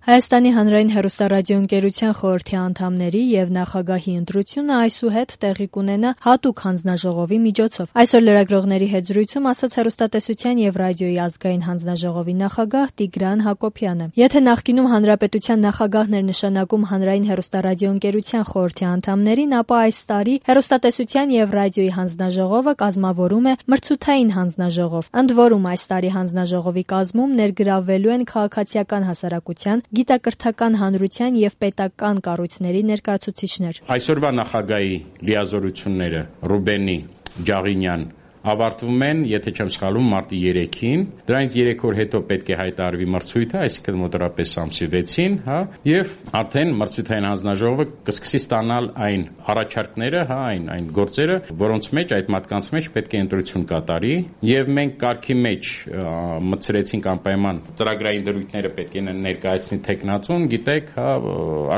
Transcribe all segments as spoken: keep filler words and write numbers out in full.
Հայաստանի հանրային հեռուստառադիոընկերության խորհրդի անդամների եւ նախագահի ընտրությունը այսուհետ տեղի կունենա հատուկ հանձնաժողովի միջոցով։ Այսօր լրագրողների հետ զրույցում ասաց հեռուստատեսության եւ ռադիոյի ազգային հանձնաժողովի նախագահ Տիգրան Հակոբյանը։ Եթե նախկինում հանրապետության նախագահն էր նշանակում հանրային հեռուստառադիոընկերության խորհրդի անդամներին, ապա այս տարի հեռուստատեսության եւ ռադիոյի հանձնաժողովը կազմավորում է մրցութային հանձնաժողով։ Ընդ որում այս տարի հանձնաժողովի կազմում ներգրավվելու են քաղաքացիական հասարակության, գիտակրթական հանրության եւ պետական կառույցների ներկայացուցիչներ։ Այսօրվա նախագահի լիազորությունները Ռուբենի Ջաղինյան ավարտվում են, եթե չեմ սխալվում, մարտի երեքին։ Դրանից երեք օր հետո պետք է հայտարարվի մրցույթը, այսինքն մոտավորապես ամսի վեցին, հա, եւ արդեն մրցութային հանձնաժողովը կսկսի ստանալ այն առաջարկները, հա, այն այն գործերը, որոնց մեջ այդ մարդկանց մեջ պետք է ընտրություն կատարի, եւ մենք կարգի մեջ մտցրեցինք անպայման ծրագրային դրույթները պետք է ներկայացնի տեխնացուն, գիտեք, հա,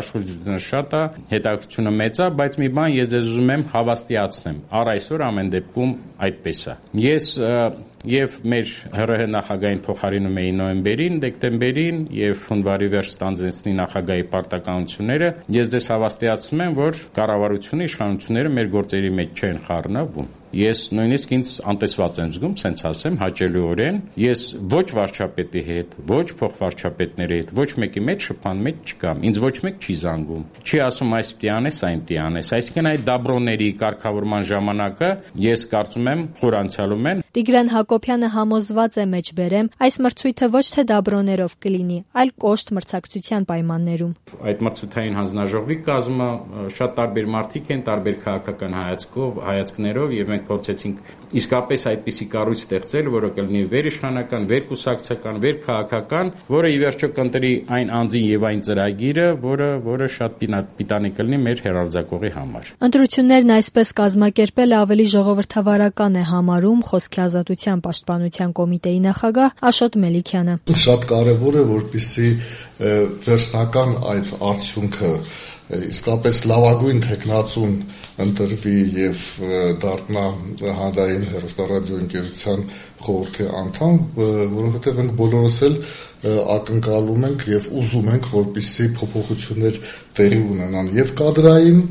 աշխուժությունը շատ է, հետաքրքրությունը մեծ է, բայց մի բան ես ձեզ ուզում եմ հավաստիացնեմ։ Առ այսօր ամեն դեպքում այդպես Ես եւ մեր ՀՌՀ նախագահային փոխարինում էի նոյեմբերին, դեկտեմբերին եւ հունվարի վերջ ստանձնեցնի նախագահի պարտականությունները։ Ես դες հավաստիացնում եմ, որ կառավարությունը, իշխանությունները մեր գործերի մեջ չեն խառնվում։ Ես նույնիսկ ինձ անտեսված եմ զգում, սենց ասեմ, հաճելիորեն։ Ես ոչ վարչապետի հետ, ոչ փոխվարչապետների հետ, ոչ մեկի մեջ շփման մեջ չկամ։ Ինձ ոչ մեկ չի զանգում։ Չի ասում այս պիտի անես, այն պիտի անես։ Այսինքն այդ դաբրոների կարգավորման ժամանակը ես կարծում եմ խորանցալում են։ Տիգրան Հակոբյանը համոզված է մեջբերեմ, այս մրցույթը ոչ թե դաբրոներով կլինի, այլ կոշտ մրցակցության պայմաններում։ Այդ մրցութային հանձնաժողովի կազմը շատ տարբեր մարդիկ են, տարբեր քաղաքական հայացքով, հայացքներով եւ մենք փորձեցինք իսկապես այդպիսի կառույց ստեղծել, որը կլինի վերիշխանական, վերկուսակցական, վերքաղաքական, որը ի վերջո կընտրի այն անձին եւ այն ծրագիրը, որը որը շատ պիտանի կլինի մեր հեռարձակողի համար։ Ընտրություններն այսպես կազմակերպել ավելի ժողովրդավարական է համարում Խոսքի ազատության պաշտպանության կոմիտեի նախագահ Աշոտ Մելիքյանը։ Շատ կարևոր է, որպեսզի վերջնական այդ արդյունքը իսկապես լավագույն տեխնացուն ընտրվի եւ դառնա հանրային հեռուստառադիոընկերության խորհրդի անդամ, որովհետեւ մենք բոլորս էլ ակնկալում ենք եւ ուզում ենք, որպեսզի փոփոխություններ տեղի ունենան եւ կադրային,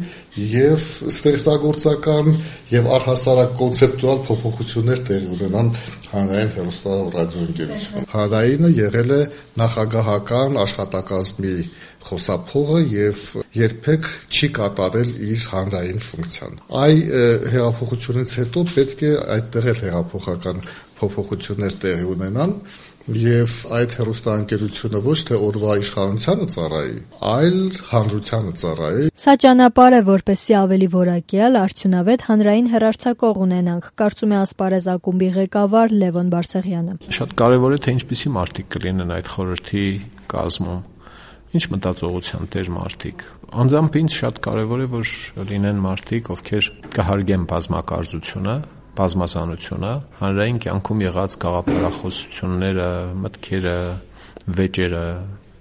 եւ ստեղծագործական, եւ առհասարակ կոնցեպտուալ փոփոխություններ տեղի ունենան հանրային հեռուստառադիոընկերությունում։ Հանրայինը եղել է նախագահական աշխատակազմի խոսափողը եւ երբեք չի կատարել իր հանրային ֆունկցիան։ Այ հեղափոխությունից հետո պետք է այդտեղ էլ հեղափոխական փոփոխություններ տեղի ունենան եւ այդ հեռուստաընկերությունը ոչ թե օրվա իշխանությանը ծառայի, այլ հանրությանը ծառայի։ Սա ճանապարհ է, որպեսզի ավելի որակյալ, արդյունավետ հանրային հեռարձակող ունենանք, կարծում է Ասպարեզ ակումբի ղեկավար Լևոն Բարսեղյանը։ Շատ կարեւոր է, թե ինչպիսի մարդիկ կլինեն այդ խորհրդի կազմում, ինչ մտածողության տեր մարդիկ։ Անձամբ ինձ շատ կարեւոր է, որ լինեն մարդիկ, ովքեր կհարգեն բազմակարծությունը, բազմազանությունը, հանրային կյանքում եղած գաղափարախոսությունները, մտքերը, վեճերը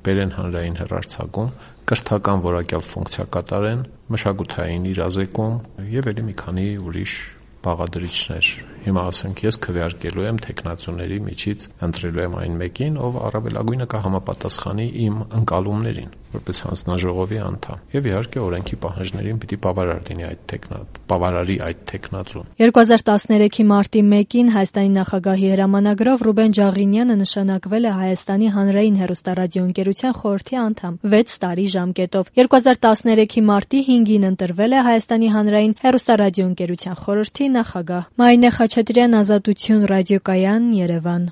բերեն հանրային հեռարձակում, կրթական որակյալ ֆունկցիա կատարեն, մշակութային իրազեկում եւ ելի մի քանի ուրիշ բաղադրիչներ։ Հիմա ասենք ես քվեարկելու եմ տեխնացուների միջից ընտրելու եմ այն մեկին, ով առավելագույնը կհամապատասխանի իմ ընկալումներին, որպես հանձնաժողովի անդամ։ Եվ իհարկե օրենքի պահանջներին պիտի բավարար լինի այդ տեխնա, բավարարի այդ տեխնացուն։ երկու հազար տասներեքի մարտի մեկին Հայաստանի նախագահի հրամանագրով Ռուբեն Ջաղինյանը նշանակվել է Հայաստանի հանրային հեռուստառադիոընկերության խորհրդի անդամ վեց տարի ժամկետով։ երկու հազար տասներեքի մարտի հինգին ընտրվել է Հայաստանի հանրային հեռուստառադիոընկերության խորհրդի նախագահ։ Մարինե Խաչատրյան, Ազատություն ռադիոկայան, Երևան։